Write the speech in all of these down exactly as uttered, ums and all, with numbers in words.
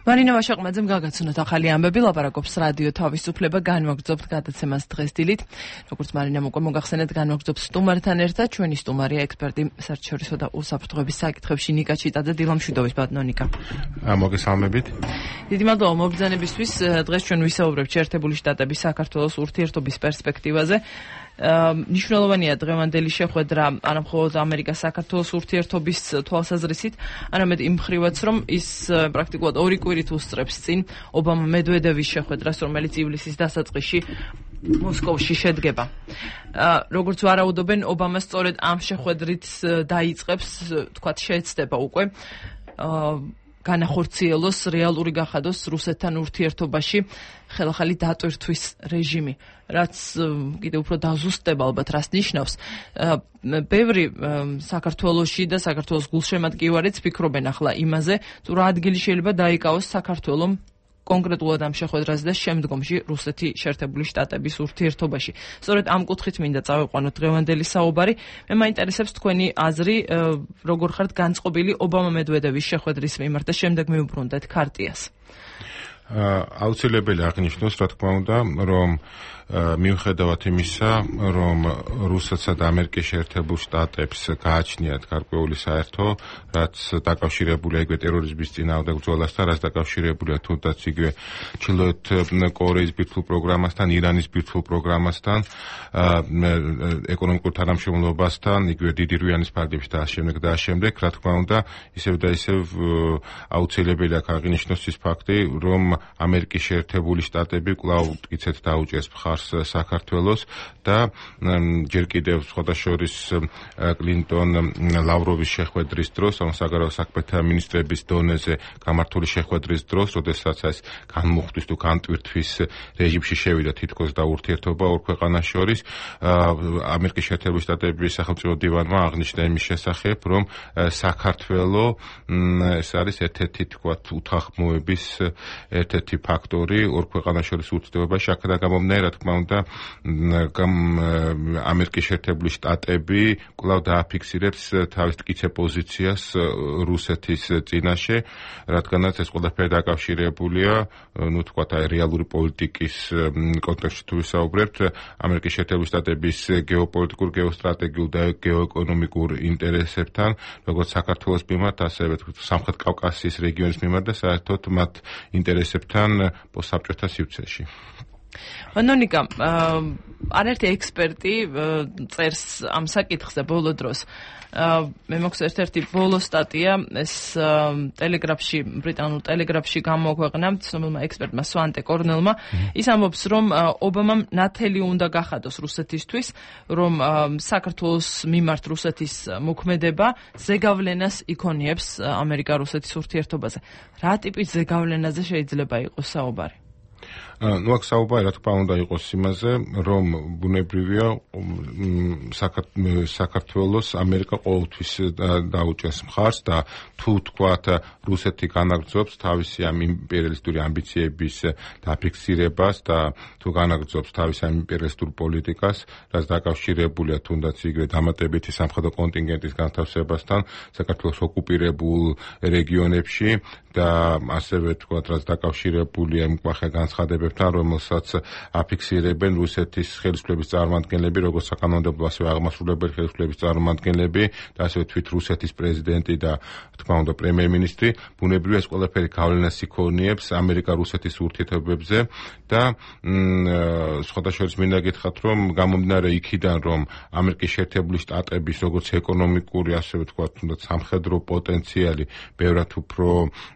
მარინა ვაშაყმაძემ გაგაცნოთ ახალი ამბები, ლაპარაკობს რადიო თავისუფლება, განვაგრძობთ გადაცემას დღეს დილით. როგორც მარინამ უკვე მოგახსენეთ, განვაგრძობთ სტუმართან ერთად, ჩვენი სტუმარია ექსპერტი საერთაშორისო და უსაფრთხოების საკითხებში ნიკა ჩიტაძე, დილამშვიდობის ბატონო ნიკა. მოგესალმებით. დიდი მადლობა მობრძანებისთვის. დღეს ჩვენ ვისაუბრებთ შეერთებული შტატების საქართველოს ურთიერთობის პერსპექტივაზე. მნიშვნელოვანია დღევანდელი შეხვედრა არა მხოლოდ ამერიკას საქართველოს ურთიერთობის თვალსაზრისით, არამედ იმ მხრივაც, რომ ის პრაქტიკულად ორი კვირით უსწრებს წინ ობამა-მედვედევის შეხვედრას, რომელიც ივლისის დასაწყისში მოსკოვში შედგება. როგორც ვარაუდობენ, ობამა სწორედ ამ შეხვედრით დაიწყებს, თქვათ, შეეცდება უკვე განახორციელოს, რეალური გახადოს რუსეთთან ურთიერთობაში ხელახალი დატვირთვის რეჟიმი, რაც კიდევ უფრო დაზუსტება ალბათ რას ნიშნავს. ბევრი საქართველოში და საქართველოს გულშემატკივარეც ფიქრობენ ახლა იმაზე, თუ რა ადგილი შეიძლება დაიკავოს საქართველომ კონკრეტულად ამ შეხვედრაზე და შემდგომში რუსეთი შეერთებული შტატების ურთიერთობაში. სწორედ ამ კუთხით მინდა წავიყვანოთ დღევანდელი საუბარი. მე მაინტერესებს თქვენი აზრი, როგორ ხართ განწყობილი ობამა-მედვედევის შეხვედრის მიმართ და შემდეგ მივუბრუნდეთ ქარტიას. აუცილებელი აღნიშნოს, რა თქმა უნდა, რომ მიუხედავად იმისა, რომ რუსეთსა და ამერიკის შეერთებულ შტატებს გააჩნიათ გარკვეული საერთო, რაც დაკავშირებულია იგივე ტერორიზმის წინააღმდეგ ბრძოლასთან, რაც დაკავშირებულია თუნდაც იგივე ჩრდილოეთ კორეის ბირთვულ პროგრამასთან, ირანის ბირთვულ პროგრამასთან, ეკონომიკურ თანამშრომლობასთან, იგივე დიდი რვიანის ფარგლებში და ამავდროულად და ამავდროულად, რა თქმა უნდა, ისევ და ისევ აუცილებელი აქვს აღინიშნოს ის ფაქტი, რომ ამერიკის შეერთებული შტატები კვლავ მტკიცედ დაუჭერს მხარს საქართველოს და ჯერ კიდევ სხვადასხვის კლინტონ ლავროვის შეხვედრის დროს, ამ საგარეო საქმეთა მინისტრების დონეზე გამართული შეხვედრის დროს, როდესაც ეს განმუხტვის თუ განტვირთვის რეჟიმში შევიდა თითქოს და ურთიერთობა ორ ქვეყანას შორის, ამერიკის შეერთებული შტატების სახელმწიფო დივანმა აღნიშნა იმის შესახებ, რომ საქართველო ეს არის ერთ-ერთი თქვათ უთანხმოების ერთ-ერთი ფაქტორი ორ ქვეყანას შორის ურთიერთობაში. აქედან გამომდინარე, რა თქმა უნდა, ამერიკის შეერთებული შტატები კვლავ დააფიქსირებს თავის მტკიცე პოზიციას რუსეთის წინაშე, რადგანაც ეს ყველაფერი დაკავშირებულია, ну, თქვათ, აი რეალური პოლიტიკის კონტექსტში თუ ვისაუბრებთ, ამერიკის შეერთებული შტატების გეოპოლიტიკურ, გეოსტრატეგიულ და გეოეკონომიკურ ინტერესებთან, როგორც საქართველოს მიმართ, ასევე სამხრეთ კავკასიის რეგიონის მიმართ და საერთოდ მათ ინტერესებთან პოსტსაბჭოთა სივრცეში. ნიკა, არაერთი ექსპერტი წერს ამ საკითხზე ბოლო დროს. მე მოგს ერთ-ერთი ბოლო სტატია, ეს ტელეგრაფში, ბრიტანულ ტელეგრაფში გამოაქვეყნა ცნობილმა ექსპერტმა სვანტე კორნელმა. ის ამბობს, რომ ობამამ ნათელი უნდა გახადოს რუსეთისთვის, რომ საქართველოს მიმართ რუსეთის მოქმედება ზეგავლენას იქონიებს ამერიკა-რუსეთის ურთიერთობაზე. რა ტიპის ზეგავლენაზე შეიძლება იყოს საუბარი? ну აქ საუბარი რა თქმა უნდა იყოს იმაზე, რომ ბუნებრივია საქართველოს ამერიკა ყოველთვის დაუჭერს მხარს და თუ თქვათ რუსეთი განაგრძობს თავისი ამ იმპერიალისტური ამბიციების დაფიქსირებას და თუ განაგრძობს თავის ამ იმპერიალისტურ პოლიტიკას, რაც დაკავშირებულია თუნდაც იგივე დამატებითი სამხედრო კონტინგენტის განთავსებასთან საქართველოს ოკუპირებულ რეგიონებში და ასევე თქვათ რაც დაკავშირებულია იმ კვახე განცხადებებთან, რომელსაც აფიქსირებენ რუსეთის ხელისუფლების წარმომადგენლები, როგორც საკანონმდებლო, ასევე აღმასრულებელი ხელისუფლების წარმომადგენლები და ასევე თვით რუსეთის პრეზიდენტი და თქმა უნდა პრემიერ-მინისტრი. ბუნებრივია ეს ყველაფერი გავლენას იქონიებს ამერიკა-რუსეთის ურთიერთობებზე და სხვადასხვა მინდა გითხრათ, რომ გამომდინარე იქიდან, რომ ამერიკის შეერთებული შტატების როგორც ეკონომიკური, ასევე თქვათ თუნდაც სამხედრო პოტენციალი ბევრად უფრო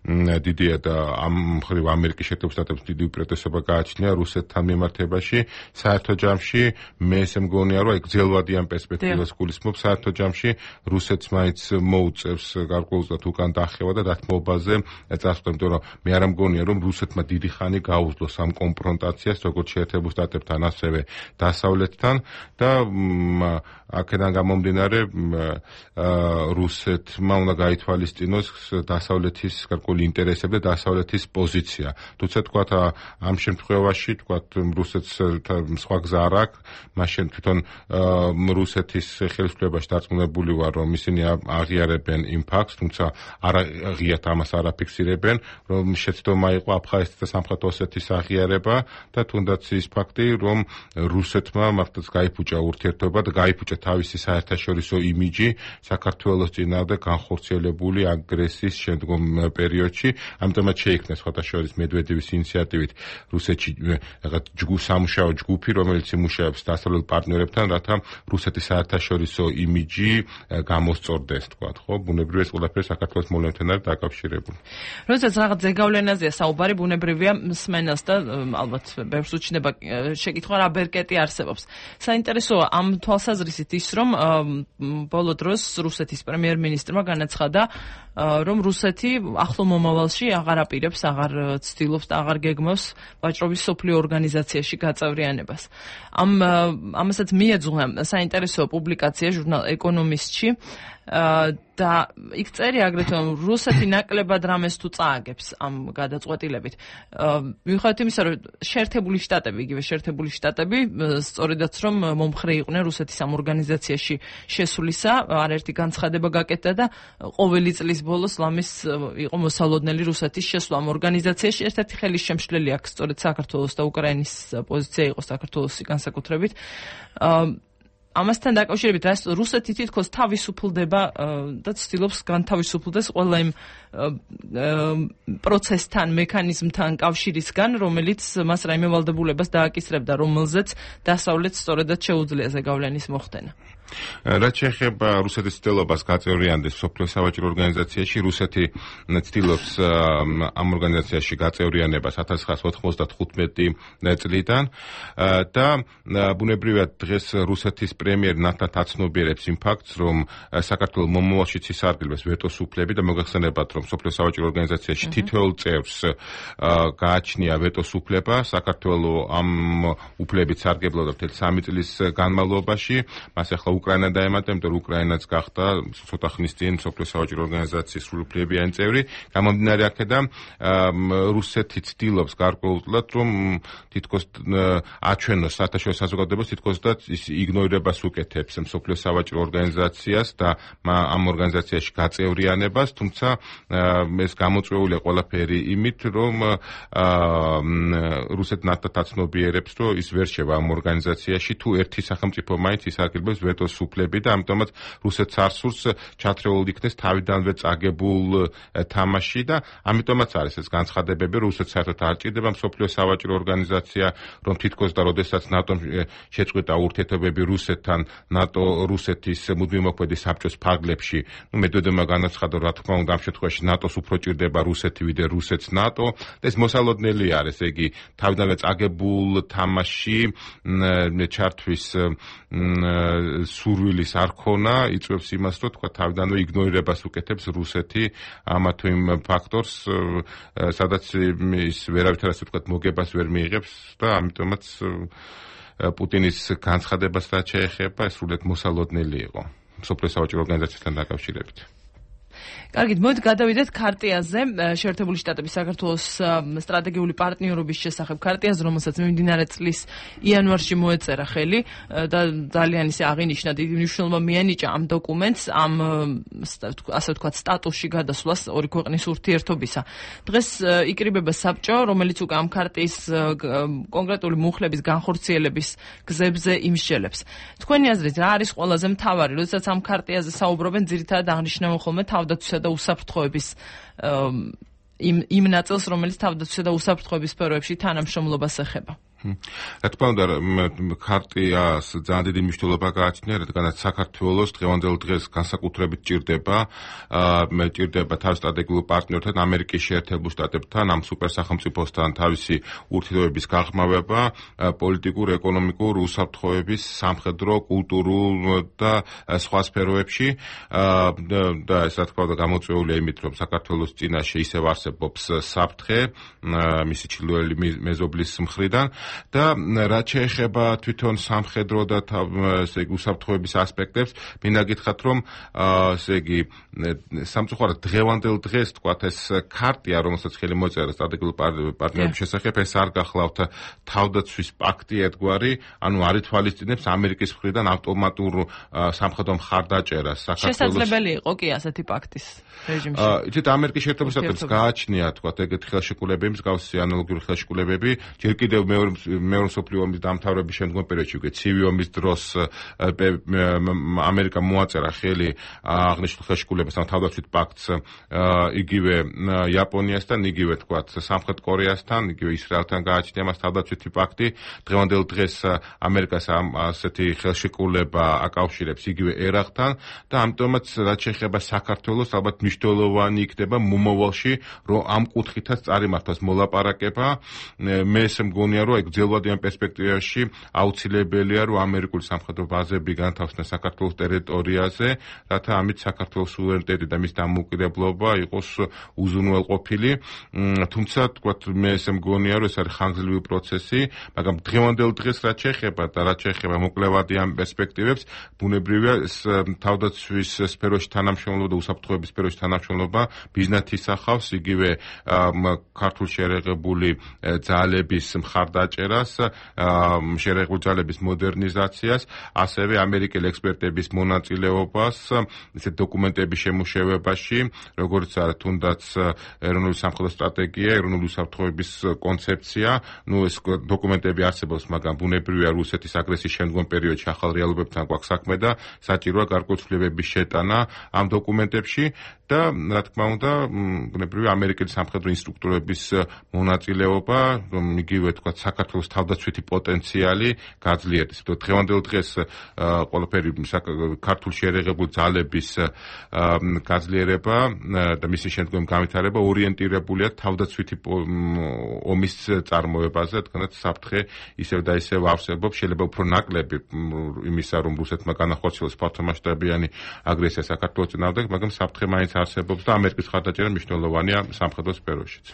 დიდია და ამ მხრივ ამერიკის შეერთებული შტატებს დიდი უპირატესობა გააჩნია რუსეთთან მიმართებაში. საერთო ჯამში მე ესე მგონია, რომ გრძელვადიან პერსპექტივას გულისხმობ, საერთო ჯამში რუსეთს მაინც მოუწევს გარკვეულწილად უკან დახევა და დათმობაზე წასვლა, იმიტომ რომ მე არ მგონია, რომ რუსეთმა დიდი ხანი გაუძლოს ამ კონფრონტაციას, როგორც შეერთებულ შტატებთან, ასევე დასავლეთთან და აქედან გამომდინარე რუსეთმა უნდა გაითვალისწინოს დასავლეთის გარკვეული ინტერესები და დასავლეთის პოზიცია. თუმცა თქვათ ამ შემთხვევაში თქვათ რუსეთს სხვა გზა არ აქვს, მაშინ თვითონ რუსეთის ხელისუფლებაში დარწმუნებული ვარ, რომ ისინი აღიარებენ იმ ფაქტს, თუმცა არ აღიარებენ ამას არ აფიქსირებენ, რომ შეცდომა იყო აფხაზეთის და სამხრეთ ოსეთის აღიარება და თუნდაც ის ფაქტი, რომ რუსეთმა მართლაც გაიფუჭა ურთიერთობა და გაიფუჭა თავისი საერთაშორისო იმიჯი საქართველოს წინააღმდეგ განხორციელებული აგრესიის შემდგომ პერიოდში, ამიტომაც შეიქმნა სხვათა შორის მედვედევის ინიციატივით რუსეთში რაღაც სამუშაო ჯგუფი, რომელიც იმუშავებს დასავლელ პარტნიორებთან, რათა რუსეთის საერთაშორისო იმიჯი გამოსწორდეს, თქვათ, ხო? ბუნებრივია ეს ყველაფერი საქართველოს მოვლენებთან არის დაკავშირებული. როდესაც რაღაც ზეგავლენაზეა საუბარი, ბუნებრივია მსმენელს და ალბათ ბევრს უჩნდება შეკითხვა რა ბერკეტი არსებობს. საინტერესოა ამ თვალსაზრისით ის, რომ ბოლო დროს რუსეთის პრემიერ-მინისტრმა განაცხადა, რომ რუსეთი ახლო მომავალში აღარ აპირებს, აღარ ცდილობს და აღარ გეგმავს ვაჭრობის სოფლიო ორგანიზაციაში გაწევრიანებას. ამ ამასაც მიეძღვნა საინტერესო პუბლიკაცია ჟურნალ ეკონომისტში და იქ წერია აგრეთვე რომ რუსეთი ნაკლებად რამეს თუ წააგებს ამ გადაწყვეტილებით. მიუხედავად იმისა, რომ შეერთებული შტატები, იგივე შეერთებული შტატები სწორედაც რომ მომხრე იყვნენ რუსეთის ამ ორგანიზაციაში შესვლისა, არაერთი განცხადება გაკეთდა და ყოველი წლის ბოლოს ლამის იყო მოსალოდნელი რუსეთის შესვლა ამ ორგანიზაციაში. ერთ-ერთი ხელის შემშლელი აქ სწორედ საქართველოს და უკრაინის პოზიცია იყო საქართველოსი განსაკუთრებით. ამასთან დაკავშირებით რუსეთი თითქოს თავისუფლდება და ცდილობს განთავისუფლდეს ყველა იმ პროცესთან, მექანიზმთან კავშირისგან, რომელიც მას რაიმე ვალდებულებას დააკისრებდა, რომელზეც დასავლეთს სწორედაც შეუძლია ზეგავლენის მოხდენა. რაც შეეხება რუსეთის ცდილობას გაწევრიანდეს მსოფლიო სავაჭრო ორგანიზაციაში, რუსეთი ცდილობს ამ ორგანიზაციაში გაწევრიანებას ათას ცხრაასი ოთხმოცდათხუთმეტი წლიდან და ბუნებრივად დღეს რუსეთის პრემიერ ნათლად აცნობიერებს იმ ფაქტს, რომ საქართველოს მომავალშიც ისარგებლებს ვეტოს უფლები და მოგეხსენებათ, რომ მსოფლიო სავაჭრო ორგანიზაციაში თითოეულ წევრს გააჩნია ვეტოს უფლება, საქართველოს ამ უფლებით სარგებლობდა მთელი სამი წლის განმავლობაში, მას ახლა უკრაინა დაემატა, იმიტომ რომ უკრაინაც გახდა ცოტა ხნის წინ მსოფლიო სავაჭრო ორგანიზაციის სრულუფლებიანი წევრი. გამომდინარე აქედან რუსეთი ცდილობს გარკვეულწილად, რომ თითქოს აჩვენოს საერთაშორისო საზოგადოებას, თითქოს და ის იგნორირებას უკეთებს მსოფლიო სავაჭრო ორგანიზაციას და ამ ორგანიზაციაში გაწევრიანებას, თუმცა ეს გამოწვეულია ყველაფერი იმით, რომ რუსეთი ნათლად აცნობიერებს, რომ ის ვერ შევა ამ ორგანიზაციაში, თუ ერთი სახელმწიფო მაინც ისარგებლებს ვეტოს უფლები და ამიტომაც რუსეთს არ სურს ჩათრეულ იქნეს თავიდანვე წაგებულ თამაში და ამიტომაც არის ეს განცხადებები, რომ რუსეთს საერთოდ არ ჭირდება მსოფლიო სავაჭრო ორგანიზაცია, რომ თითქოს და როდესაც ნატომ შეწყვეტა ურთიერთობები რუსეთთან, ნატო რუსეთის მუდმივმოქმედი საბჭოს ფარგლებში, ნუ მედვედევმა განაცხადა, რა თქმა უნდა ამ შემთხვევაში ნატოს უფრო ჭირდება რუსეთი ვიდრე რუსეთს ნატო და ეს მოსალოდნელი არის, იგი თავიდანვე წაგებულ თამაში ჩართვის სურვილის არ ქონა, იწვევს იმას, რომ თქვა თავიდანვე იგნორირებას უკეთებს რუსეთი ამა თუ იმ ფაქტორს, სადაც ის ვერავითარ ასე თქვა მოგებას ვერ მიიღებს და ამიტომაც პუტინის განცხადებაც რაც შეეხება, ეს სრულიად მოსალოდნელი იყო მსოფლიო სავაჭრო ორგანიზაციასთან დაკავშირებით. კარგით, მოდით გადავიდეთ ქარტიაზე, შეერთებული შტატების საქართველოს სტრატეგიული პარტნიორობის შესახებ ქარტიაზე, რომელსაც მიმდინარე წლის იანვარში მოეწერა ხელი და ძალიან ისე აღინიშნა დიდი მნიშვნელობა მიენიჭა ამ დოკუმენტს, ამ ასე ვთქვათ სტატუსში გადასვლას ორი ქვეყნის ურთიერთობისა. დღეს იკრიბება საბჭო, რომელიც უკვე ამ ქარტიის კონკრეტული მუხლების განხორციელების გზებზე იმსჯელებს. თქვენი აზრით, რა არის ყველაზე მთავარი, როდესაც ამ ქარტიაზე საუბრობენ, ძირითადად აღნიშნავენ ხოლმე თავდაცვისა და უსაფრთხოების იმ იმ ნაწილს, რომელიც თავდაცვისა და უსაფრთხოების სფეროებში თანამშრომლობას ეხება. რა თქმა უნდა, ქარტიას ძალიან დიდი მნიშვნელობა გააჩნია, რადგანაც საქართველოს დღევანდელ დღეს განსაკუთრებით ჭირდება, ჭირდება თავის სტრატეგიულ პარტნიორთან, ამერიკის შეერთებულ შტატებთან, ამ სუპერსახელმწიფოსთან თავისი ურთიერთობების გაღრმავება, პოლიტიკურ, ეკონომიკურ, უსაფრთხოების, სამხედრო, კულტურულ და სხვა სფეროებში და ეს რა თქმა უნდა გამოწვეულია იმით, რომ საქართველოს წინაშე ისევ არსებობს საფრთხე მისი ჩრდილოელი მეზობლის მხრიდან. და რაც შეეხება თვითონ სამხედრო და ესე იგი უსაფრთხოების ასპექტებს, მინდა გითხრათ, რომ ესე იგი სამწუხაროდ დღევანდელ დღეს თქვათ ეს ქარტია, რომელსაც ხელი მოწერა სტრატეგიული პარტნიორობის შესახებ, ეს არ გახლავთ თავდაცვის პაქტი ერთგვარი, ანუ არ ითვალისწინებს ამერიკის მხრიდან ავტომატურ სამხედრო მხარდაჭერას საქართველოს. შესაძლებელი იყო კი ასეთი პაქტის რეჟიმში. იცით, ამერიკის შეერთებულ შტატებს გააჩნია თქვათ ეგეთი ხელშეკრულებები, მსგავსი ანალოგიური ხელშეკრულებები, ჯერ კიდევ მეორე მეორე მსოფლიო ომის დამთავრების შემდგომ პერიოდში, უკვე ცივი ომის დროს ამერიკამ მოაწერა ხელი აღნიშნულ ხელშეკრულებას, ამ თავდაცვით პაქტს იგივე იაპონიასთან, იგივე თქვათ სამხრეთ კორეასთან, იგივე ისრაელთან გააჩნია მას თავდაცვითი პაქტი. დღევანდელ დღეს ამერიკას ამ ასეთი ხელშეკრულება აკავშირებს იგივე ერაღთან და ამიტომაც რაც შეეხება საქართველოს, ალბათ მნიშვნელოვანი იქნება მომავალში, რომ ამ კუთხითაც წარიმართოს მოლაპარაკება. მე ესე მგონია, რომ ეგ ძელვადიან პერსპექტივაში აუცილებელია, რომ ამერიკული სამხედრო ბაზები განთავსდეს საქართველოს ტერიტორიაზე, რათა ამით საქართველოს სუვერენიტეტი და მის დამოუკიდებლობა იყოს უზრუნველყოფილი. თუმცა თქვათ, მე ესე მგონია, რომ ეს არის ხანგრძლივი პროცესი, მაგრამ დღევანდელ დღეს რაც შეეხება და რაც შეეხება მოკლევადიან პერსპექტივებს, ბუნებრივია თავდაცვის სფეროში თანამშრომლობა და უსაფრთხოების სფეროში თანამშრომლობა მიზნად ისახავს იგივე ქართულ შერეღებული ძალების მხარდაჭერას, შერეღებული ძალების მოდერნიზაციას, ასევე ამერიკელი ექსპერტების მონაწილეობას ისეთ დოკუმენტების შემუშავებაში, როგორც არის თუნდაც ეროვნული სამხედრო სტრატეგია, ეროვნული უსაფრთხოების კონცეფცია. ნუ ეს დოკუმენტები არსებობს, მაგრამ ბუნებრივია რუსეთის აგრესიის შემდგომ პერიოდში ახალ რეალობებთან გვაქვს საქმე და საჭიროა გარკვეულწლებების შეტანა ამ დოკუმენტებში და რა თქმა უნდა, ბუნებრივია ამერიკელი სამხედრო ინსტრუქტორების მონაწილეობა, რომ იგივე თქვა საქართველოს თავდაცვითი პოტენციალი გაძლიერდეს. დღევანდელ დღეს ყველაფერი ქართულ შერეღებულ ძალების გაძლიერება და მისი შემდგომი განვითარება ორიენტირებულია თავდაცვითი ომის წარმოებაზე, თქვათ საფრთხე ისევ და ისევ არსებობს, შეიძლება უფრო ნაკლები იმისა, რომ რუსეთმა განახორციელოს ფართომასშტაბიანი აგრესია საქართველოს წინააღმდეგ, მაგრამ საფრთხე მაინც არსებობს და ამერიკის მხარდაჭერა მნიშვნელოვანია სამხედრო სფეროშიც.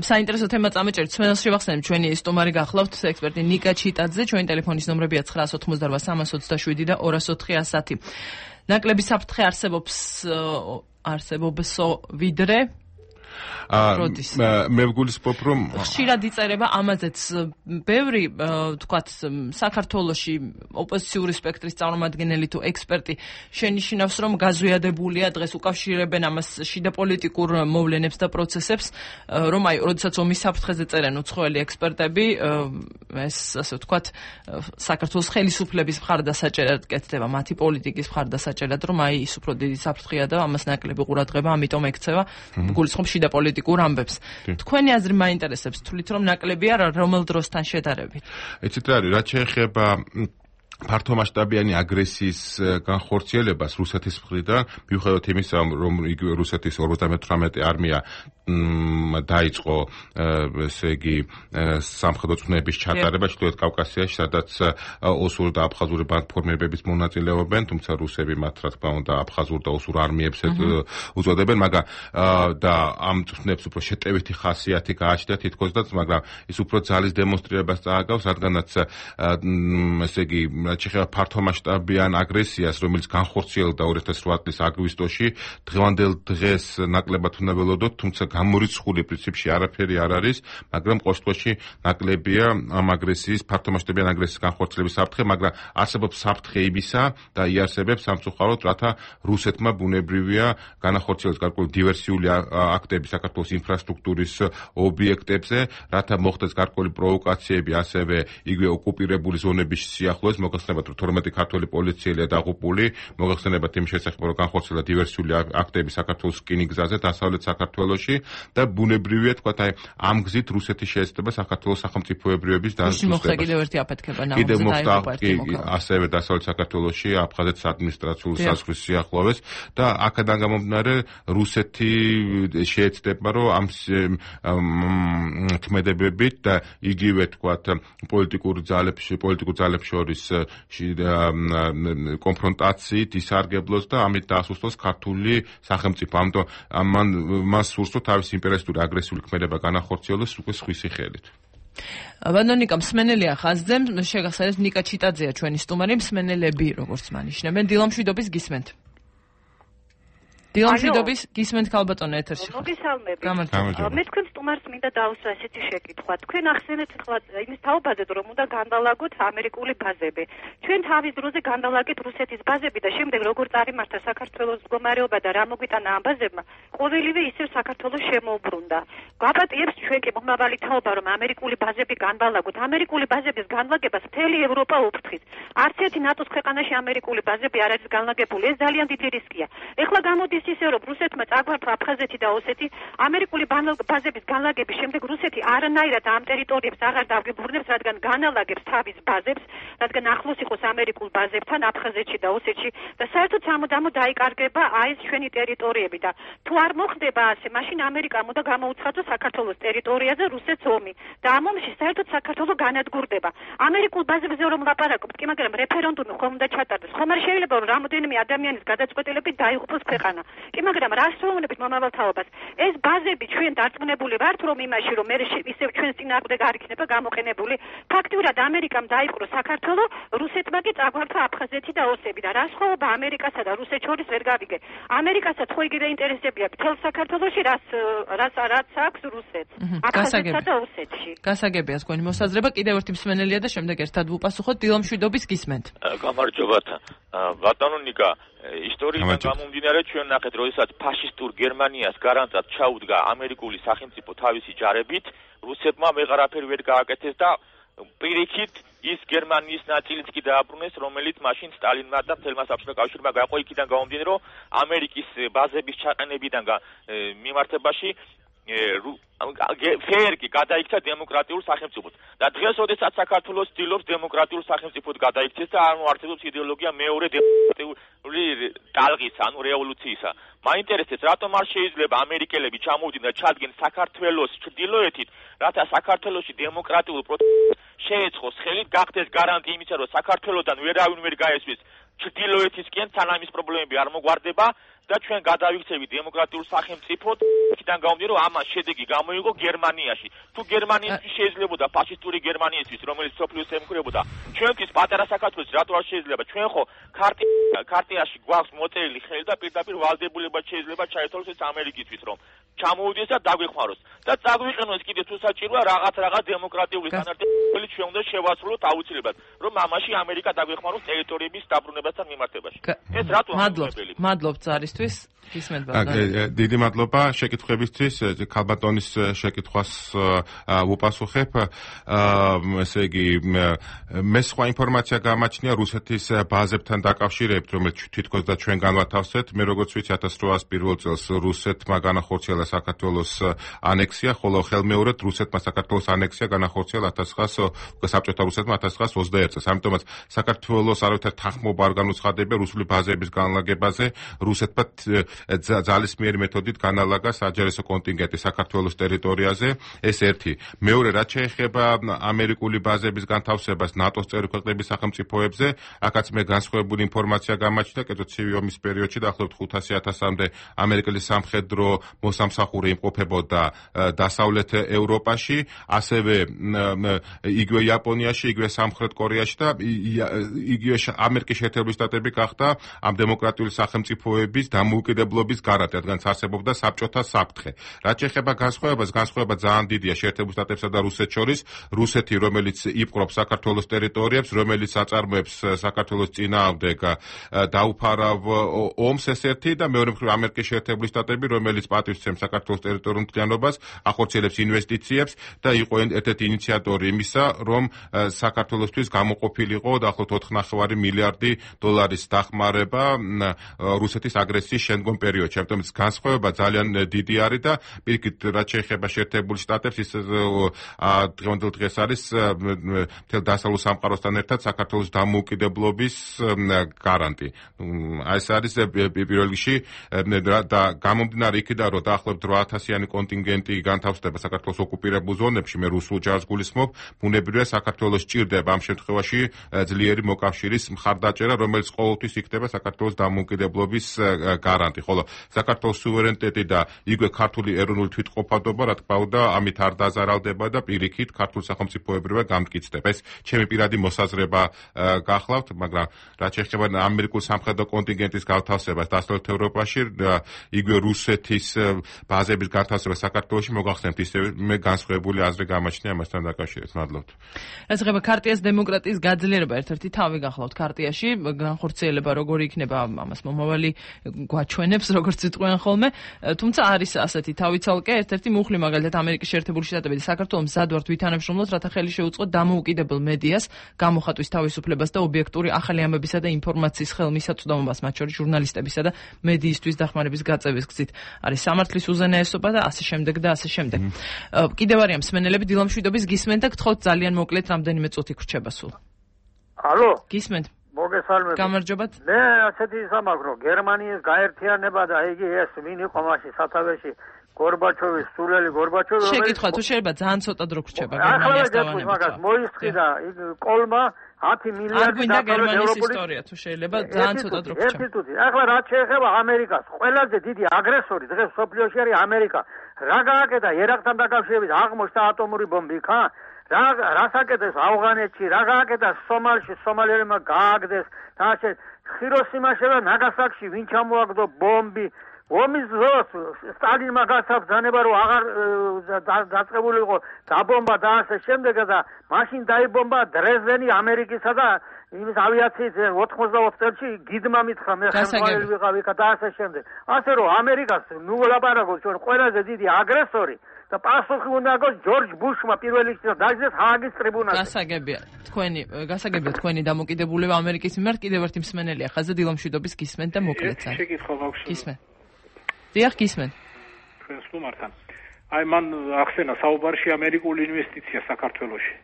საინტერესო თემა წამეჭერთ. ჩვენს შევახსენებთ ჩვენი სტუმარი გახლავთ ექსპერტი ნიკა ჩიტაძე, ჩვენი ტელეფონის ნომრებია ცხრაას ოცდაოთხმოცდარბა სამას ოცდაშვიდი და ორას ოთხი ასათი. ნაკლები საფრთხე არსებობს არსებობსო ვიდრე მე ვგულისხმობ, რომ ხშირად იწერება ამაზეც ბევრი, თქვათ, საქართველოში ოპოზიციური სპექტრის წარმომადგენელი თუ ექსპერტი შენიშნავს, რომ გაზვიადებულია, დღეს უკავშირებენ ამას შიდა პოლიტიკურ მოვლენებს და პროცესებს, რომ აი, როდესაც ომის საფრთხეზე წერენ უცხოელი ექსპერტები, ეს ასე ვთქვათ, საქართველოს ხელისუფლების მხარდასაჭერად კეთდება, მათი პოლიტიკის მხარდასაჭერად, რომ აი, ის უფრო დიდი საფრთხეა და ამას ნაკლები ყურადღება, ამიტომ ექცევა, გულისხმობ შიდა პოლიტიკურ ამბებს. თქვენი აზრი მაინტერესებს, თვლით რომ ნაკლებია რომელ დროსთან შედარებით? ეცეთ არის, რაც შეეხება ფართომასშტაბიანი აგრესიის განხორციელებას რუსეთის მხრიდან, მიუხედავად იმისა, რომ იგივე რუსეთის ორმოცდამეთვრამეტე არმია დაიწყო, ესე იგი, სამხედრო წვნების ჩატარება ჩრდილოეთ კავკასიაში, სადაც ოსურ და აფხაზური ბანდფორმირებების მონაწილეობენ, თუმცა რუსები მათ რა თქმა უნდა აფხაზურ და ოსურ არმიებს უწოდებენ, მაგრამ და ამ წვნებს უფრო შეტევითი ხასიათი გააჩნდა თითქოსდაც, მაგრამ ის უფრო ძალის დემონსტრირებას წააგავს, რადგანაც ესე იგი შეეხება ფართომასშტაბიან აგრესიას, რომელიც განხორციელდა ორი ათას რვა წლის აგვისტოში, დღევანდელ დღეს ნაკლებად უნდა ველოდოთ, თუმცა გამორიცხული პრინციპში არაფერი არ არის, მაგრამ ყოველ შემთხვევაში ნაკლებია ამ აგრესიის, ფართომასშტაბიან აგრესიის განხორციელების საფრთხე, მაგრამ არსებობს საფრთხე იმისა და იარსებებს სამწუხაროდ, რათა რუსეთმა ბუნებრივია განახორციელოს გარკვეული დივერსიული აქტები საქართველოს ინფრასტრუქტურის ობიექტებზე, რათა მოხდეს გარკვეული პროვოკაციები, ასევე იგივე ოკუპირებული ზონების სიახლოვეს, მოგახსენებათ, რომ თორმეტი ქართველი პოლიციელია დაღუპული, მოგახსენებათ იმ შესახებ, რომ განხორციელა დივერსიული აქტები საქართველოს რკინიგზაზე, დასავლეთ საქართველოში და ბუნებრივია, თქვათ, აი ამ გზით რუსეთი შეეცდება საქართველოს სახელმწიფოებრიობის დასუსტებას. კიდევ ერთი აფეთქება კიდევ მოხდა ასევე დასავლეთ საქართველოში, აფხაზეთის ადმინისტრაციულ საზღვრის სიახლოვეს და აქედან გამომდინარე რუსეთი შეეცდება, რომ ამ თქმედებებით და იგივე, თქვათ, პოლიტიკურ ძალებს, პოლიტიკურ ძალებს შორის კონფრონტაციით ისარგებლოს და ამით დაასუსტოს ქართული სახელმწიფო. ამიტომ მან მას სურს, რომ თავის იმპერიალისტური აგრესიული ქმედება განახორციელოს უკვე სხვისი ხელით. ბანდონიკა მსმენელია ხაზზე, შეგახსენებთ ნიკა ჩიტაძეა ჩვენი სტუმარი, მსმენელები როგორც მანიშნებენ, დილამშვიდობის გისმენთ. დილამშვიდობის გისმენთ ქალბატონო ეთერში. მოგესალმებით. მე თქვენ სტუმარს მინდა დავუსვა ესეთი შეკითხვა. თქვენ ახსენეთ ახლა იმის თაობაზე, რომ უნდა განდალაგოთ ამერიკული ბაზები. ჩვენ თავის დროზე განდალაგეთ რუსეთის ბაზები და შემდეგ როგორ წარიმართა საქართველოს მდგომარეობა და რა მოგვიტანა ამ ბაზებმა, ყოველივე ისევ საქართველოს შემოუბრუნდა. გვაპატიებს ჩვენ კი მომავალი თაობა, რომ ამერიკული ბაზები განდალაგოთ. ამერიკული ბაზების განლაგებას მთელი ევროპა უფრთხის. არც ერთი ნატოს ქვეყანაში ამერიკული ბაზები არ არის განლაგებული. ეს ძალიან დიდი რისკია. ეხლა გამოდის ისე რომ რუსეთმა წაგვართა აფხაზეთი და ოსეთი ამერიკული ბაზების განლაგების შემდეგ რუსეთი არანაირად ამ ტერიტორიებს აღარ დაგებრუნებს, რადგან განალაგებს თავის ბაზებს, რადგან ახლოს იყოს ამერიკულ ბაზებთან აფხაზეთში და ოსეთში და საერთოდ სამუდამო დაიკარგება აი ეს ჩვენი ტერიტორიები და თუ არ მოხდება ასე, მაშინ ამერიკამ უნდა გამოუცხადოს საქართველოს ტერიტორიაზე რუსეთს ომი და ამ ომში საერთოდ საქართველო განადგურდება. ამერიკულ ბაზებზე რომ ლაპარაკობთ, კი მაგრამ რეფერენდუმი ხომ უნდა ჩატარდეს, ხომ არ შეიძლება რომ რამოდენიმე ადამიანის გადაწყვეტილებით დაიღუპოს ქვეყანა. კი მაგრამ რას ვეუბნებით მომავალ თაობას? ეს ბაზები ჩვენ დარწმუნებული ვართ რომ იმაში რომ მე ისევ ჩვენს წინააღმდეგ არ იქნება გამოყენებული. ფაქტიურად ამერიკამ დაიპყრო საქართველო, რუსეთმა კი წაგვართა აფხაზეთი და ოსები და რა სხვაობა ამერიკასა და რუსეთს შორის ვერ გავიგე. ამერიკასაც ხო იგივე ინტერესები აქვს თელ საქართველოში, რას რაც რაც აქვს რუსეთს. აფხაზეთსა და ოსეთში. გასაგებია თქვენი მოსაზრება, კიდევ ერთი მსმენელია და შემდეგ ერთად ვუპასუხოთ. დილამშვიდობის გისმენთ. გამარჯობათ. ბატონო ნიკა, ისტორიიდან გამომდინარე ჩვენ ნახეთ, როდესაც ფაშისტურ გერმანიას გარანტად ჩაუდგა ამერიკული სახელმწიფო თავისი ჯარებით, რუსეთმა ვეღარაფერი ვერ გააკეთეს და პირიქით ის გერმანიის ნაწილიც კი დააბრუნეს, რომელიც მაშინ სტალინმა და მთელმა საბჭოთა კავშირმა გაყო. იქიდან გამომდინარე, რომ ამერიკის ბაზების ჩაყენებიდან მიმართებაში ფერგი გადაიქცა დემოკრატიულ სახელმწიფოდ და დღეს ოდესაც საქართველოს ცდილობს დემოკრატიულ სახელმწიფოდ გადაიქცეს და ანუ არსებობს იდეოლოგია მეორე დემოკრატიული ტალღისა, ანუ რევოლუციისა. მაინტერესებს, რატომ არ შეიძლება ამერიკელები ჩამოვიდნენ და ჩადგენ საქართველოს ჩრდილოეთით, რათა საქართველოში დემოკრატიულ პროცესს შეეწყოს ხელით, გახდეს გარანტია იმისა, რომ საქართველოსთან ვერავინ ვერ გაესვის ჩრდილოეთისკენ, სანამ ის პრობლემები არ მოგვარდება და ჩვენ გადავიქცევით დემოკრატიულ სახელმწიფოდ. იქიდან გამომდინარე, რომ ამას შედეგი გამოიღო გერმანიაში. თუ გერმანიისთვის შეიძლებოდა ფაშისტური გერმანიისთვის, რომელიც სოფლიოს ემხრებოდა, ჩვენთვის პატარა საქართველოს რატო არ შეიძლება? ჩვენ ხო ქარტიაში გვაქვს მოწერილი ხელი და პირდაპირ ვალდებულება შეიძლება ჩაეთვალოს ეს ამერიკისთვის, რომ ჩამოვიდეს და დაგვეხმაროს და წაგვიყენოს კიდე თუ საჭიროა რაღაც რაღაც დემოკრატიული სტანდარტები ჩვენ უნდა შევასრულოთ აუცილებლად, რომ ამაში ამერიკა დაგვეხმაროს ტერიტორიების დაბრუნებასთან მიმართებაში. ეს რატო ამოღებელი? მადლობთ ზარისთვის. გისმენთ ბატონო. დიდი მადლობა შეკითხვებისთვის. ქალბატონის შეკითხვას ვუპასუხებ. ესე იგი, მე სხვა ინფორმაცია გამაჩნია რუსეთის ბაზებთან დაკავშირებით, რომელიც თითქოს და ჩვენ განვათავსეთ. მე როგორც ვიცი, ათას რვაას პირველ წელს რუსეთმა განახორციელა საქართველოს ანექსია, ხოლო ხელმეორედ რუსეთმა საქართველოს ანექსია განახორციელა ათას ცხრაას საბჭოთა რუსეთმა ათას ცხრაას ოცდაერთ წელს. ამიტომაც საქართველოს არავითარ თანხმობა არ განუცხადებია რუსული ბაზების განლაგებაზე. რუსეთმა ძალისმიერი მეთოდით განალაგა საჯარისო კონტინგენტი საქართველოს ტერიტორიაზე. ეს ერთი. მეორე, რაც შეეხება ამერიკული ბაზების განთავსებას ნატოს წევრი ქვეყნების სახელმწიფოებზე, აქაც მე განსხვავებული ინფორმაცია გამაჩნდა, კერძო ცივი ომის პერიოდში დაახლოებით ხუთასი ათასამდე ამერიკელი სამხედრო მოსამსახური იმყოფებოდა დასავლეთ ევროპაში, ასევე იგივე იაპონიაში, იგივე სამხრეთ კორეაში და იგივე ამერიკის შეერთებული შტატები გახდა ამ დემოკრატიული სახელმწიფოების დამოუკიდებლობის გარანტი, რადგან არსებობდა საბჭოთა საფრთხე. რაც შეეხება განსხვავებას, განსხვავება ძალიან დიდია შეერთებულ შტატებსა და რუსეთს შორის. რუსეთი, რომელიც იპყრობს საქართველოს ტერიტორიებს, რომელიც აწარმოებს საქართველოს წინააღმდეგ დაუფარავ ომს, ეს ერთი და მეორე მხრივ ამერიკის შეერთებული შტატები, რომელიც პატივსცემს საქართველოს ტერიტორიულ მთლიანობას, ახორციელებს ინვესტიციებს და იყო ერთ-ერთი ინიციატორი იმისა, რომ საქართველოსთვის გამოყოფილიყო დაახლოებით ოთხ კoma პέντε მილიარდი დოლარის დახმარება რუსეთის აგრესიის შემდგომ პერიოდში. ამიტომ განსხვავება ძალიან დიდი არის და პირიქით, რაც შეეხება შეერთებულ შტატებს, ის დღევანდელ დღეს არის მთელ დასავლურ სამყაროსთან ერთად საქართველოს დამოუკიდებლობის გარანტი. ეს არის პირველ რიგში და გამომდინარე იქიდან, რომ დაახლოებით რვა ათასიანი კონტინგენტი განთავსდება საქართველოს ოკუპირებულ ზონებში, მე რუსულ ჯარს გულისხმობ, ბუნებრივია საქართველოს ჭირდება ამ შემთხვევაში ძლიერი მოკავშირის მხარდაჭერა, რომელიც ყოველთვის იქნება საქართველოს დამოუკიდებლობის გარანტი, ხოლო საქართველოს სუვერენიტეტი და იქვე ქართული ეროვნული თვითყოფადობა, რა თქმა უნდა, ამით არ დაზარალდება და პირიქით ქართულ სახელმწიფოებრივად გამტკიცდება. ეს ჩემი პირადი მოსაზრება გახლავთ, მაგრამ რაც შეეხება ამერიკულ სამხედრო კონტინგენტის გათავსებას დასავლეთ ევროპაში, იქვე რუსეთის ბაზების გათავსება საქართველოში მოგახსენებთ, ისევე მე განსხვავებული აზრი გამაჩნია ამასთან დაკავშირებით. მადლობთ. რაც ეხება ქარტიას დემოკრატიის გაძლიერება, ერთ-ერთი თავი გახლავთ ქარტიაში, განხორციელება როგორი იქნება, ამას მომავალი გვაჩვენებს, როგორც იტყვიან ხოლმე, თუმცა არის ასეთი თავი ცალკე, ერთ-ერთი მუხლი მაგალითად ამერიკის შეერთებული შტატები და საქართველო მზად ვართ ვითანამშრომლოთ, რათა ხელი შეუწყოთ დამოუკიდებელ მედიას, გამოხატვის თავისუფლებას და ობიექტური ახალი ამბებისა და ინფორმაციის ხელმისაწვდომობას, მათ შორის ჟურნალისტებისა და მედიისთვის დახმარების გაწევის გზით. არის სამართლის უზენაესობა და ასე შემდეგ და ასე შემდეგ. კიდევ არიან მსმენელები დილამშვიდობის გისმენთ და გთხოვთ ძალიან მოკლედ რამდენიმე წუთი გრჩება სულ. ალო? გისმენთ. მოგესალმებით. გამარჯობათ. მე ასეთი სამაგრო, გერმანიის გაერთიანება და იგი ეს ვინ იყო მაშინ სათავეში გორბაჩოვის, სულელი გორბაჩოვი, რომელიც შეკითხვა თუ შეიძლება ძალიან ცოტა დრო გრჩება გერმანიის დავანებით. მაგას მოისწრი და კოლმა ათი მილიარდი დაკავდა ევროპული ისტორია თუ შეიძლება ძალიან ცოტა დრო გრჩება. ერთი თუთი. ახლა რაც შეეხება ამერიკას, ყველაზე დიდი აგრესორი დღეს სოფლიოში არის ამერიკა. რა გააკეთა ერაყთან დაკავშირებით, აღმოჩნდა ატომური ბომბი, ხა? რა რას აკეთეს ავღანეთში, რა გააკეთა სომალში, სომალიელებმა გააგდეს და ასე ხიროსიმაში და ნაგასაკში ვინ ჩამოაგდო ბომბი. ომის დროს სტალინმა გასაბრძანება რომ აღარ დაწყებულიყო დაბომბა და ასე შემდეგ და მაშინ დაიბომბა დრეზდენი ამერიკისა და იმის ავიაციის ოთხმოცდაოთხ წელში გიდმა მითხრა მე ხელმძღვანელი ვიყავი და ასე შემდეგ. ასე რომ ამერიკას ნუ ვლაპარაკობთ ჩვენ ყველაზე დიდი აგრესორი და პასუხი უნდა აქვს ჯორჯ ბუშმა პირველ რიგში და დაიძინეს ჰააგის ტრიბუნალში. გასაგებია თქვენი გასაგებია თქვენი დამოკიდებულება ამერიკის მიმართ. კიდევ ერთი მსმენელია ხაზზე დილამშვიდობის გისმენთ და მოკლედ ძალიან. შეკითხვა მაქვს. გისმენთ. დიახ, გისმენთ. ჩვენს სტუმართან. აი მან ახსენა საუბარში ამერიკული ინვესტიცია საქართველოში.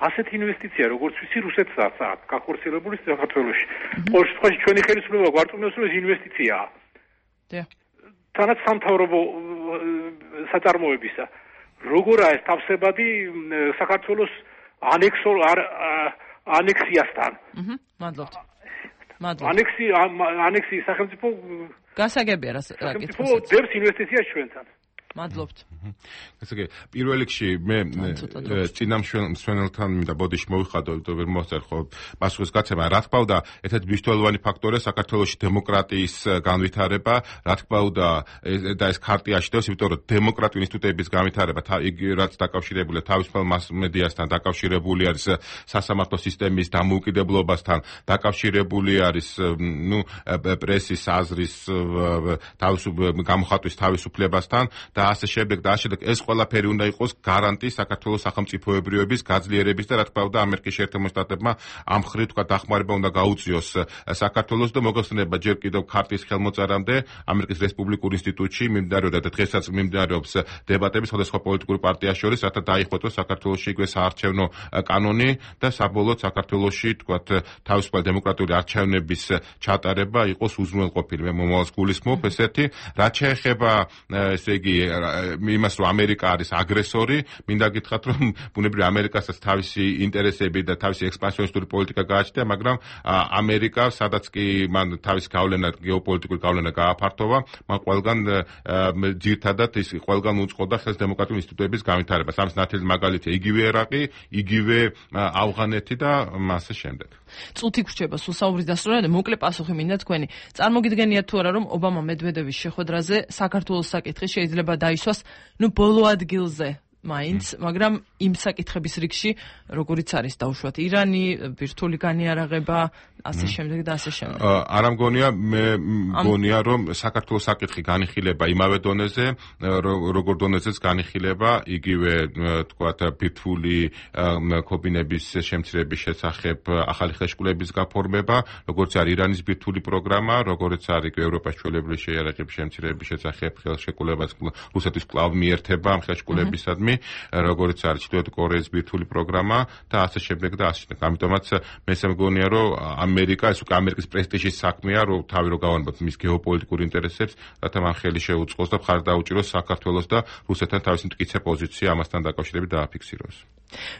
ასეთი ინვესტიცია, როგორც ვიცი, რუსეთსაც აქვს გახორციელებული საქართველოში. ყოველ შემთხვევაში ჩვენი ხელისუფლება გვარწმუნებს, რომ ეს ინვესტიციაა. დიახ. თანაც სამთავრობო საწარმოებისა. როგორაა ეს თავსებადი საქართველოს ანექსორ ანექსიასთან? აჰა, მადლობთ. მადლობთ. ანექსი ანექსი სახელმწიფო გასაგებია რა საკითხია. დებს ინვესტიციას ჩვენთან. მადლობთ. ესე იგი, პირველ რიგში მე წინა მსმენელთან მინდა ბოდიში მოვიხადო, იმიტომ ვერ მოსწერ ხო პასუხის გაცემა. რა თქმა უნდა, ერთ-ერთი მნიშვნელოვანი ფაქტორია საქართველოში დემოკრატიის განვითარება, რა თქმა უნდა, და ეს ქარტიაში დევს, იმიტომ რომ დემოკრატიული ინსტიტუტების განვითარება, იგი რაც დაკავშირებულია თავისუფალ მასმედიასთან, დაკავშირებული არის სასამართლო სისტემის დამოუკიდებლობასთან, დაკავშირებული არის ნუ პრესის აზრის გამოხატვის თავისუფლებასთან და ასე შემდეგ და ასე შემდეგ. ეს ყველაფერი უნდა იყოს გარანტი საქართველოს სახელმწიფოებრიობის გაძლიერების და რა თქმა უნდა ამერიკის შეერთებულ შტატებმა ამ მხრივ თქვა დახმარება უნდა გაუწიოს საქართველოს და მოგხსენება ჯერ კიდევ ქარტიის ხელმოწერამდე ამერიკის რესპუბლიკურ ინსტიტუტში მიმდინარეობდა და დღესაც მიმდინარეობს დებატები სხვადასხვა პოლიტიკური პარტიას შორის, რათა დაიხოტოს საქართველოში იქვე საარჩევნო კანონი და საბოლოოდ საქართველოში თქვა თავისუფალი დემოკრატიული არჩევნების ჩატარება იყოს უზრუნველყოფილი. მე მომავალს გულისხმობ ესეთი, რაც შეეხება ესე იგი იმას რომ ამერიკა არის აგრესორი, მინდა გითხრათ რომ ბუნებრივია ამერიკასაც თავისი ინტერესები და თავისი ექსპანსიონისტური პოლიტიკა გააჩნია, მაგრამ ამერიკა სადაც კი მან თავისი გავლენა, გეოპოლიტიკური გავლენა გააფართოვა, მან ყველგან ძირთადად ის ყველგან უწყობდა ხელს დემოკრატიული ინსტიტუტების განვითარებას. ამის ნათელი მაგალითია იგივე ერაყი, იგივე ავღანეთი და ასე შემდეგ. წუთი გრჩება სულ საუბრის დასრულებამდე, მოკლე პასუხი მინდა თქვენი. წარმოგიდგენიათ თუ არა რომ ობამა მედვედევის შეხვედრაზე საქართველოს საკითხი შეიძლება დაისვას ნუ ბოლო ადგილზე მაინც, მაგრამ იმ საკითხების რიგში, როგორიც არის დაუშვათ ირანი, ბირთვული განიარაღება, ასე შემდეგ და ასე შემდეგ. არა მგონია, მე მგონია რომ საქართველოს საკითხი განიხილება იმავე დონეზე, როგორ დონეზეც განიხილება იგივე თქვათ ბირთვული კობინების შემცირების შესახებ ახალი ხელშეკრულების გაფორმება, როგორც არის ირანის ბირთვული პროგრამა, როგორც არის ევროპაში ჩვეულებრივი შეიარაღების შემცირების შესახებ ხელშეკრულებას რუსეთის კვლავ მიერთება ამ ხელშეკრულებისადმი, როგორც არის ჩრდილოეთ კორეის ბირთვული პროგრამა და ასე შემდეგ და ასე შემდეგ. ამიტომაც მე მგონია რომ ამერიკა, ეს უკვე ამერიკის პრესტიჟის საქმეა, რომ თავი რო გავანებოთ მის გეოპოლიტიკურ ინტერესებს, რათა მან ხელი შეუწყოს და მხარი დაუჭიროს საქართველოს და რუსეთთან თავისი მტკიცე პოზიცია ამასთან დაკავშირებით დააფიქსიროს.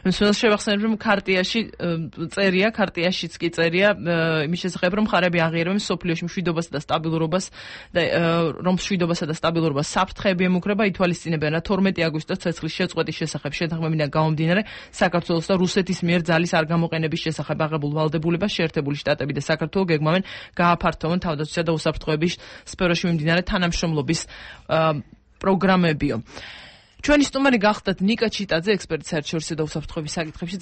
მსმენელს შევახსენებ, რომ ქარტიაში წერია, ქარტიაშიც კი წერია იმის შესახებ, რომ მხარეები აღიარებენ სოფლიოში მშვიდობასა და სტაბილურობას და რომ მშვიდობასა და სტაბილურობას საფრთხეები ემუქრება, ითვალისწინებენ, რა თორმეტი აგვისტოს ცეცხლის შეწყვეტის შესახებ შეთანხმებიდან გამომდინარე საქართველოს და რუსეთის მიერ ძალის არ გამოყენების შესახებ აღებულ ვალდებულებას შეერთებული შტატები და საქართველო გეგმავენ გააფართოვონ თავდაცვისა და უსაფრთხოების სფეროში მიმდინარე თანამშრომლობის პროგრამებიო. ჩვენი სტუმარი გახლდათ ნიკა ჩიტაძე, ექსპერტი საერთაშორისო და უსაფრთხოების საკითხებში.